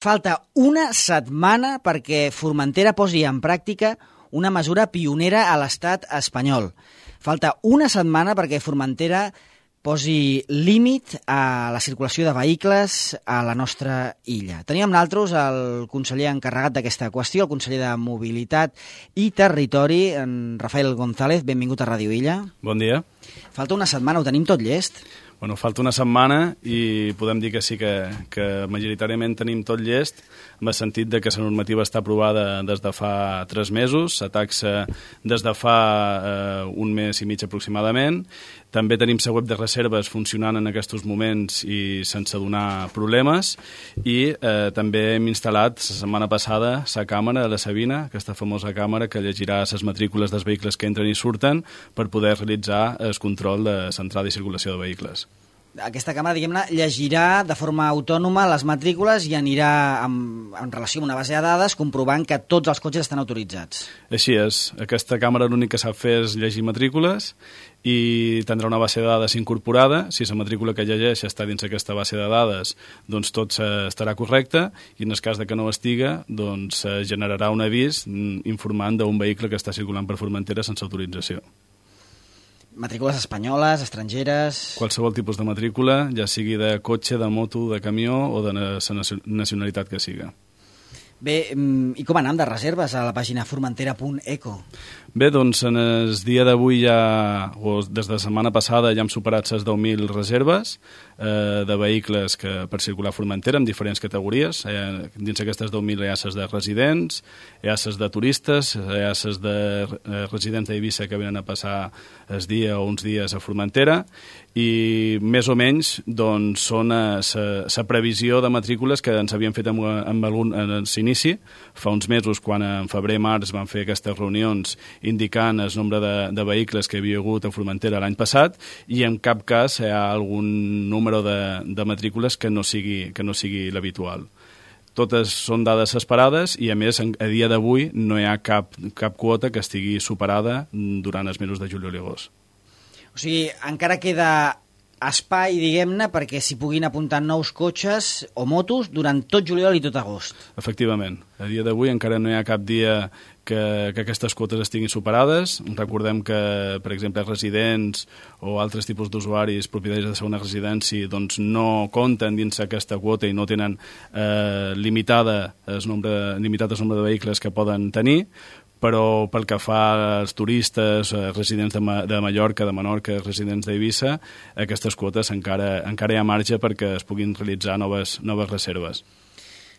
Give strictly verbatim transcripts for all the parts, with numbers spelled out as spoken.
Falta una setmana perquè Formentera posi en pràctica una mesura pionera a l'estat espanyol. Falta una setmana perquè Formentera posi límit a la circulació de vehicles a la nostra illa. Teníem amb nosaltres el conseller encarregat d'aquesta qüestió, el conseller de Mobilitat i Territori, en Rafael González. Benvingut a Ràdio Illa. Bon dia. Falta una setmana, ho tenim tot llest? Bueno, falta una setmana i podem dir que sí que, que majoritàriament tenim tot llest, en el sentit de que la normativa està aprovada des de fa tres mesos, la taxa des de fa eh, un mes i mig aproximadament. També tenim la web de reserves funcionant en aquests moments i sense donar problemes, i eh, també hem instal·lat la setmana passada la càmera de la Sabina, aquesta famosa càmera que llegirà les matrícules dels vehicles que entren i surten per poder realitzar el control de l'entrada i circulació de vehicles. Aquesta càmera, diguem-ne, llegirà de forma autònoma les matrícules i anirà en, en relació amb una base de dades comprovant que tots els cotxes estan autoritzats. Així és. Aquesta càmera l'únic que sap fer és llegir matrícules i tindrà una base de dades incorporada. Si la matrícula que llegeix està dins aquesta base de dades, doncs tot estarà correcte, i en el cas de que no estiga, doncs generarà un avís informant d'un vehicle que està circulant per Formentera sense autorització. Matrícules espanyoles, estrangeres... Qualsevol tipus de matrícula, ja sigui de cotxe, de moto, de camió o de la nacionalitat que siga. Bé, i com anem de reserves a la pàgina formentera punt eco? Bé, doncs en el dia d'avui ja, o des de la setmana passada, ja hem superat les deu mil reserves eh, de vehicles que per circular a Formentera en diferents categories. Eh, dins aquestes deu mil hi ha les de residents, hi ha les de turistes, hi ha les de eh, residents d'Eivissa que venen a passar el dia o uns dies a Formentera, i més o menys doncs, són la previsió de matrícules que ens havien fet amb, amb algun en l'inici. Fa uns mesos, quan en febrer-març van fer aquestes reunions indicant el nombre de, de vehicles que hi havia hagut a Formentera l'any passat, i en cap cas hi ha algun número de, de matrícules que no sigui, que no sigui l'habitual. Totes són dades esperades i, a més, a dia d'avui no hi ha cap, cap quota que estigui superada durant els mesos de juliol i agost. O sigui, encara queda espai, diguem-ne, perquè s'hi puguin apuntar nous cotxes o motos durant tot juliol i tot agost. Efectivament. A dia d'avui encara no hi ha cap dia que, que aquestes quotes estiguin superades. Recordem que, per exemple, residents o altres tipus d'usuaris propietaris de segona residència doncs no compten dins aquesta quota i no tenen eh, limitada el nombre, limitat el nombre de vehicles que poden tenir, però pel que fa als turistes, residents de, Ma de Mallorca, de Menorca, residents d'Eivissa, aquestes quotes encara, encara hi ha marge perquè es puguin realitzar noves, noves reserves.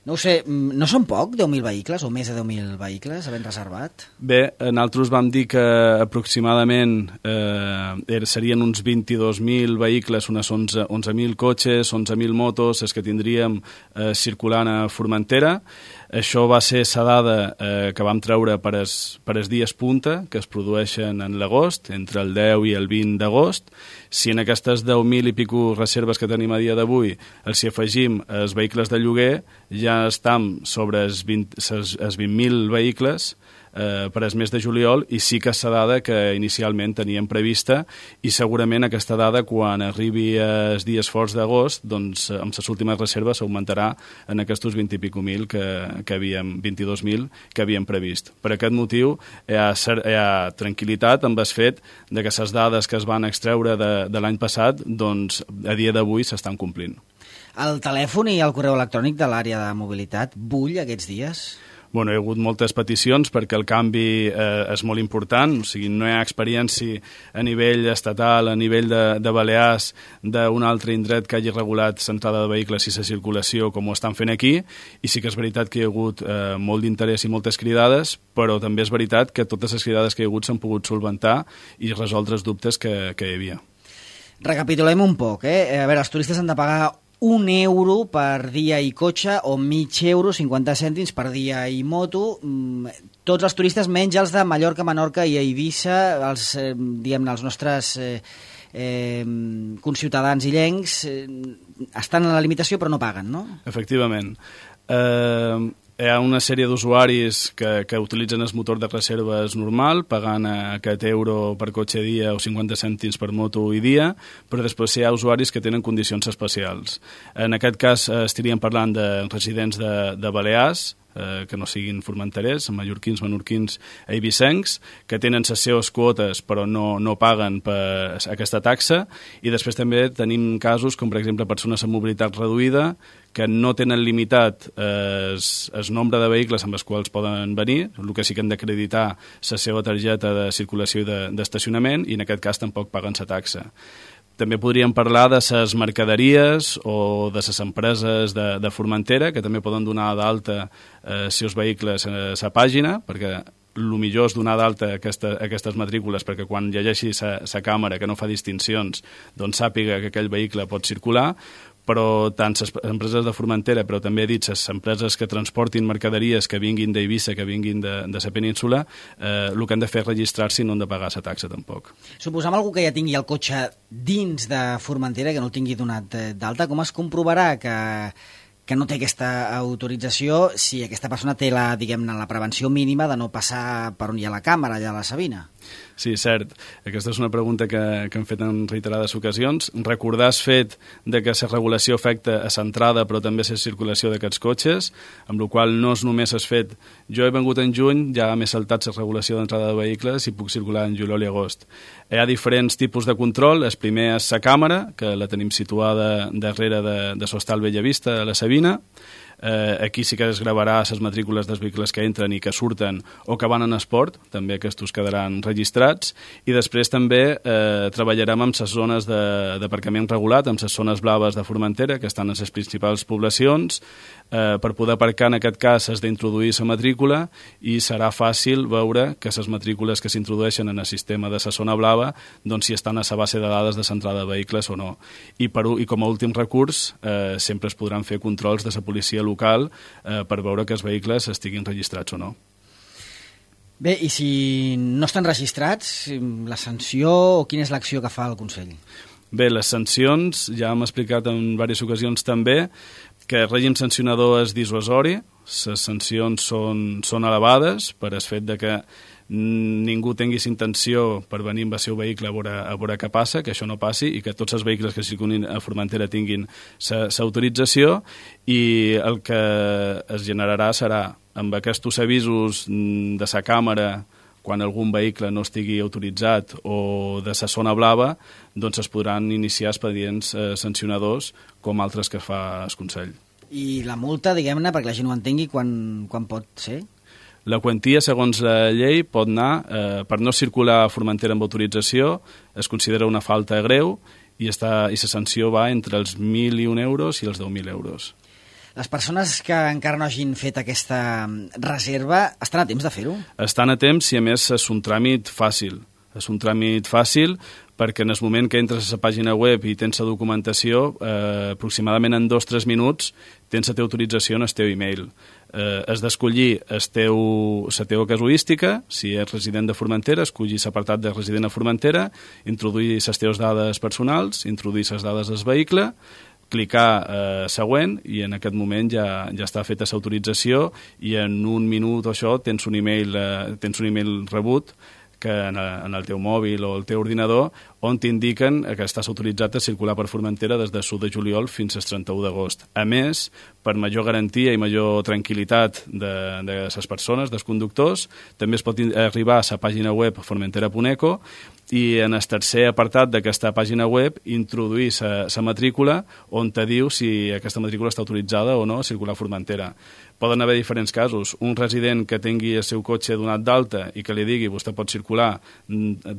No ho sé, no són poc, deu mil vehicles o més de deu mil vehicles havent reservat? Bé, nosaltres vam dir que aproximadament eh, serien uns vint-i-dos mil vehicles, unes onze mil cotxes, onze mil motos, els que tindríem eh, circulant a Formentera. Això va ser la dada eh, que vam treure per els, per els dies punta, que es produeixen en l'agost, entre el deu i el vint d'agost. Si en aquestes deu mil i pico reserves que tenim a dia d'avui els hi afegim els vehicles de lloguer, ja estem sobre els vint mil vehicles eh, per al mes de juliol, i sí que és la dada que inicialment teníem prevista, i segurament aquesta dada, quan arribi els dies forts d'agost, doncs amb les últimes reserves s'augmentarà en aquests vint i pico mil que, que havíem, vint-i-dos mil que havíem previst. Per aquest motiu hi ha, hi ha tranquil·litat amb el fet de que les dades que es van extreure de, de l'any passat, doncs a dia d'avui s'estan complint. El telèfon i el correu electrònic de l'àrea de mobilitat bull aquests dies? Bueno, hi ha hagut moltes peticions perquè el canvi eh, és molt important, o sigui, no hi ha experiència a nivell estatal, a nivell de, de Balears, d'un altre indret que hagi regulat l'entrada de vehicles i la circulació com ho estan fent aquí, i sí que és veritat que hi ha hagut eh, molt d'interès i moltes cridades, però també és veritat que totes les cridades que hi ha hagut s'han pogut solventar i resoldre els dubtes que, que hi havia. Recapitulem un poc, eh? A veure, els turistes han de pagar un euro per dia i cotxe o mig euro, cinquanta cèntims per dia i moto. Tots els turistes, menys els de Mallorca, Menorca i Eivissa, els, eh, diguem-ne, els nostres eh, eh, conciutadans illencs, eh, estan en la limitació però no paguen, no? Efectivament. Eh, hi ha una sèrie d'usuaris que, que utilitzen el motor de reserves normal, pagant aquest euro per cotxe dia o cinquanta cèntims per moto i dia, però després hi ha usuaris que tenen condicions especials. En aquest cas estaríem parlant de residents de, de Balears, eh, que no siguin formenterers, mallorquins, menorquins i eivissencs, que tenen les seves quotes però no, no paguen per aquesta taxa, i després també tenim casos com per exemple persones amb mobilitat reduïda que no tenen limitat eh, el nombre de vehicles amb els quals poden venir, el que sí que han d'acreditar la seva targeta de circulació i d'estacionament, i en aquest cas tampoc paguen la taxa. També podríem parlar de les mercaderies o de les empreses de, de Formentera, que també poden donar d'alta eh, els seus vehicles a la pàgina, perquè el millor és donar d'alta aquesta, aquestes matrícules perquè quan llegeixi la càmera, que no fa distincions, doncs sàpiga que aquell vehicle pot circular, però tant les empreses de Formentera, però també he dit les empreses que transportin mercaderies que vinguin d'Eivissa, que vinguin de, de la península, eh, el que han de fer és registrar-se i no han de pagar la taxa tampoc. Suposam algú que ja tingui el cotxe dins de Formentera, que no el tingui donat d'alta, com es comprovarà que, que no té aquesta autorització si aquesta persona té la, diguem-ne, la prevenció mínima de no passar per on hi ha la càmera, allà a la Sabina? Sí, cert. Aquesta és una pregunta que, que hem fet en reiterades ocasions. Recordar el fet de que la regulació afecta a l'entrada però també a la circulació d'aquests cotxes, amb la qual no és només el fet jo he vengut en juny, ja m'he saltat la regulació d'entrada de vehicles i puc circular en juliol i agost. Hi ha diferents tipus de control. El primer és la càmera, que la tenim situada darrere de, de l'Hostal Bellavista, a la Sabina. Eh, aquí sí que es gravarà les matrícules dels vehicles que entren i que surten o que van en esport, també aquests quedaran registrats, i després també eh, treballarem amb les zones d'aparcament regulat, amb les zones blaves de Formentera, que estan en les principals poblacions. Eh, per poder aparcar en aquest cas has d'introduir la matrícula i serà fàcil veure que les matrícules que s'introdueixen en el sistema de la zona blava doncs si estan a la base de dades de l'entrada de vehicles o no. I, per, i com a últim recurs eh, sempre es podran fer controls de la policia local eh, per veure que els vehicles estiguin registrats o no. Bé, i si no estan registrats, la sanció o quina és l'acció que fa el Consell? Bé, les sancions, ja hem explicat en diverses ocasions també, que el règim sancionador és dissuasori, les sancions són, són elevades per el fet de que ningú tinguis intenció per venir amb el seu vehicle a veure, a veure què passa, que això no passi i que tots els vehicles que circulin a Formentera tinguin l'autorització, i el que es generarà serà amb aquests avisos de la càmera quan algun vehicle no estigui autoritzat o de la zona blava, doncs es podran iniciar expedients eh, sancionadors com altres que fa el Consell. I la multa, diguem-ne, perquè la gent ho entengui, quan, quan pot ser? La quantia, segons la llei, pot anar, eh, per no circular a Formentera amb autorització, es considera una falta greu i, està, i la sanció va entre els mil i un euros i els deu mil euros. Les persones que encara no hagin fet aquesta reserva estan a temps de fer-ho? Estan a temps i, a més, és un tràmit fàcil. És un tràmit fàcil perquè en el moment que entres a la pàgina web i tens la documentació, eh, aproximadament en dos o tres minuts tens la teva autorització en el teu e-mail. Eh, has d'escollir la teva casuística, si ets resident de Formentera, escollir l'apartat de resident a Formentera, introduir les teves dades personals, introduir les dades del vehicle, clicar eh, següent i en aquest moment ja, ja està feta l'autorització i en un minut o això tens un email, eh, tens un email rebut que en, en el teu mòbil o el teu ordinador on t'indiquen que estàs autoritzat a circular per Formentera des de l'u de juliol fins al trenta-u d'agost. A més, per major garantia i major tranquil·litat de, de les persones, dels conductors, també es pot arribar a la pàgina web formentera punt eco i en el tercer apartat d'aquesta pàgina web introduir la matrícula on te diu si aquesta matrícula està autoritzada o no a circular a Formentera. Poden haver diferents casos. Un resident que tingui el seu cotxe donat d'alta i que li digui vostè pot circular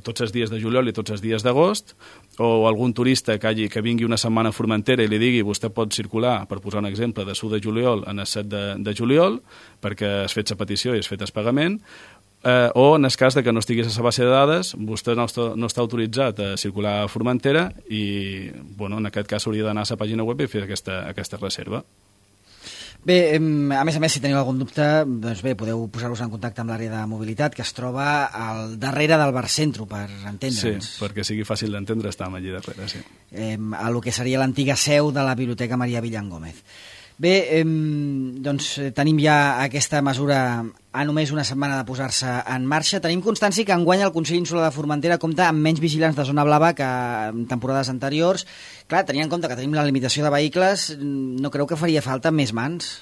tots els dies de juliol i tots els dies d'agost, o algun turista que, hagi, que vingui una setmana a Formentera i li digui vostè pot circular, per posar un exemple, de l'u de juliol en el set de, de juliol perquè has fet la petició i has fet el pagament, eh, o en el cas de que no estiguis a la base de dades, vostè no està, no està autoritzat a circular a Formentera i bueno, en aquest cas hauria d'anar a la pàgina web i fer aquesta, aquesta reserva. Bé, a més a més, si teniu algun dubte, doncs bé, podeu posar-vos en contacte amb l'àrea de mobilitat que es troba al darrere del Barcentro, per entendre'ns. Sí, perquè sigui fàcil d'entendre, estàvem allí darrere, sí. Eh, a lo que seria l'antiga seu de la Biblioteca Maria Villan Gómez. Bé, eh, doncs tenim ja aquesta mesura a només una setmana de posar-se en marxa. Tenim constància que enguany el Consell Insular de Formentera compta amb menys vigilants de zona blava que en temporades anteriors. Clar, tenint en compte que tenim la limitació de vehicles, no creu que faria falta més mans?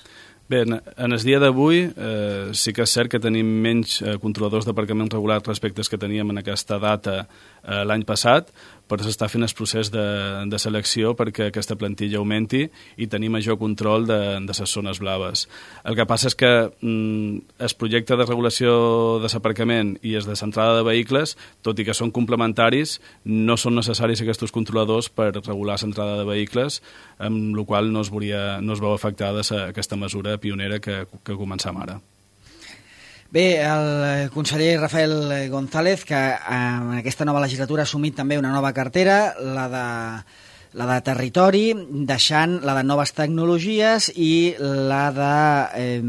Bé, en, en el dia d'avui eh, sí que és cert que tenim menys eh, controladors d'aparcament regular respecte als que teníem en aquesta data eh, l'any passat, però s'està fent el procés de, de selecció perquè aquesta plantilla augmenti i tenir major control de, de les zones blaves. El que passa és que mm, el projecte de regulació de l'aparcament i el de l'entrada de vehicles, tot i que són complementaris, no són necessaris aquests controladors per regular l'entrada de vehicles, amb la qual no es, veuria, no es veu afectada aquesta mesura pionera que, que començam ara. Bé, el conseller Rafael González, que en aquesta nova legislatura ha assumit també una nova cartera, la de, la de territori, deixant la de noves tecnologies i la de eh,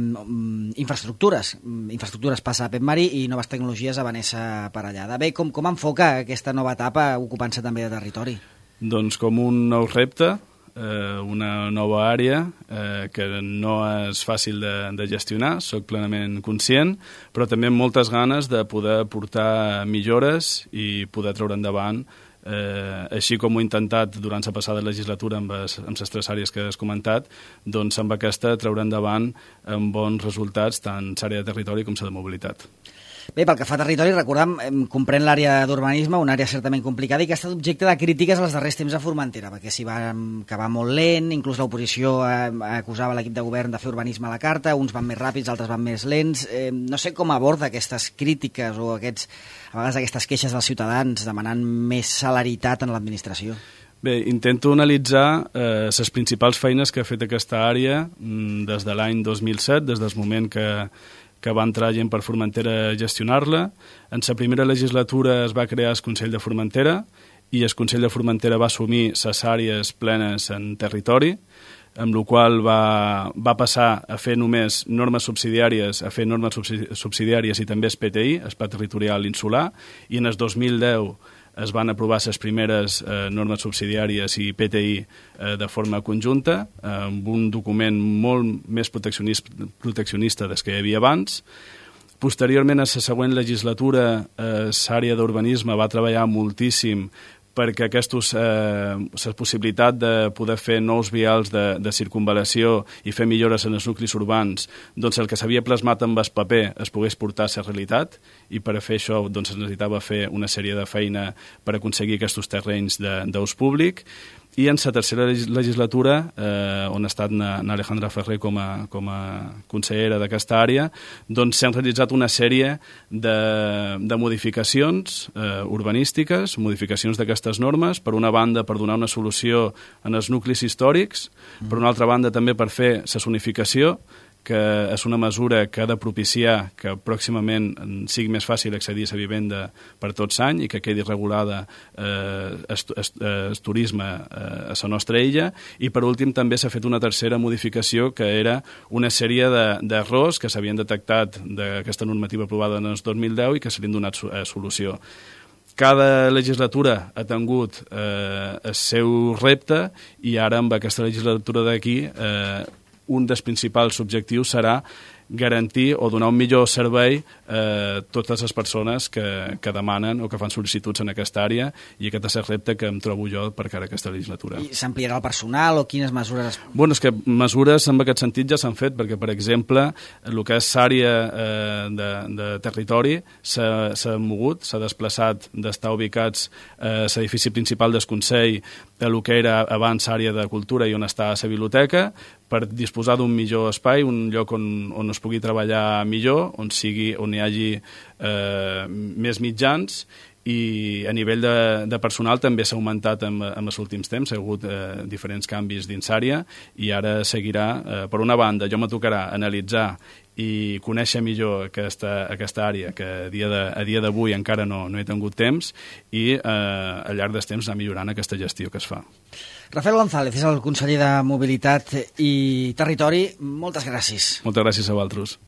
infraestructures. Infraestructures passa a Pep Mari i noves tecnologies a Vanessa Parellada. Bé, com, com enfoca aquesta nova etapa ocupant-se també de territori? Doncs com un nou repte, Eh, una nova àrea eh, que no és fàcil de, de gestionar, soc plenament conscient, però també amb moltes ganes de poder portar millores i poder treure endavant, eh, així com ho he intentat durant la passada legislatura amb les, amb les tres àrees que has comentat, doncs amb aquesta treure endavant amb bons resultats tant l'àrea de territori com la de mobilitat. Bé, pel que fa a territori, recordem, comprèn l'àrea d'urbanisme, una àrea certament complicada i que ha estat objecte de crítiques als darrers temps a Formentera, perquè s'hi va acabar molt lent, inclús l'oposició acusava l'equip de govern de fer urbanisme a la carta, uns van més ràpids, altres van més lents. Eh, no sé com aborda aquestes crítiques o aquests, a vegades aquestes queixes dels ciutadans demanant més celeritat en l'administració. Bé, intento analitzar eh, les principals feines que ha fet aquesta àrea mm, des de l'any dos mil set, des del moment que que va entrar gent per Formentera a gestionar-la. En la primera legislatura es va crear el Consell de Formentera i el Consell de Formentera va assumir les àrees plenes en territori, amb la qual va, va passar a fer només normes subsidiàries, a fer normes subsidiàries i també el P T I, el Pla Territorial Insular, i en el dos mil deu es van aprovar les primeres eh, normes subsidiàries i P T I eh, de forma conjunta, eh, amb un document molt més proteccionista, proteccionista des que hi havia abans. Posteriorment, a la següent legislatura, eh, l'àrea d'urbanisme va treballar moltíssim perquè aquestos, eh, la possibilitat de poder fer nous vials de, de circunvalació i fer millores en els nuclis urbans, doncs el que s'havia plasmat amb el paper es pogués portar a la realitat, i per a fer això doncs, es necessitava fer una sèrie de feina per aconseguir aquests terrenys d'ús públic. I en la tercera legislatura, eh, on ha estat na, na Alejandra Ferrer com a, com a consellera d'aquesta àrea, doncs s'han realitzat una sèrie de, de modificacions eh, urbanístiques, modificacions d'aquestes normes, per una banda per donar una solució en els nuclis històrics, mm. per una altra banda també per fer la zonificació, que és una mesura que ha de propiciar que pròximament sigui més fàcil accedir a la vivenda per tots l'any i que quedi regulada eh, el turisme eh, a la nostra illa. I per últim també s'ha fet una tercera modificació, que era una sèrie d'errors de, que s'havien detectat d'aquesta normativa aprovada en el dos mil deu i que se li han donat eh, solució. Cada legislatura ha tingut eh, el seu repte i ara amb aquesta legislatura d'aquí eh, un dels principals objectius serà garantir o donar un millor servei a totes les persones que, que demanen o que fan sol·licituds en aquesta àrea, i aquest és el repte que em trobo jo per cara a aquesta legislatura. I s'ampliarà el personal o quines mesures? Bueno, és que mesures en aquest sentit ja s'han fet, perquè, per exemple, el que és l'àrea eh, de, de territori s'ha mogut, s'ha desplaçat d'estar ubicats a l'edifici principal del Consell a el que era abans àrea de cultura i on està la biblioteca, per disposar d'un millor espai, un lloc on, on es pugui treballar millor, on, sigui, on hi hagi eh, més mitjans, i a nivell de, de personal també s'ha augmentat en, en els últims temps, hi ha hagut eh, diferents canvis dins àrea, i ara seguirà, eh, per una banda, jo me tocarà analitzar i conèixer millor aquesta, aquesta àrea, que a dia de, a dia d'avui encara no, no he tingut temps, i eh, al llarg dels temps anar millorant aquesta gestió que es fa. Rafael González és el conseller de Mobilitat i Territori. Moltes gràcies. Moltes gràcies a vosaltres.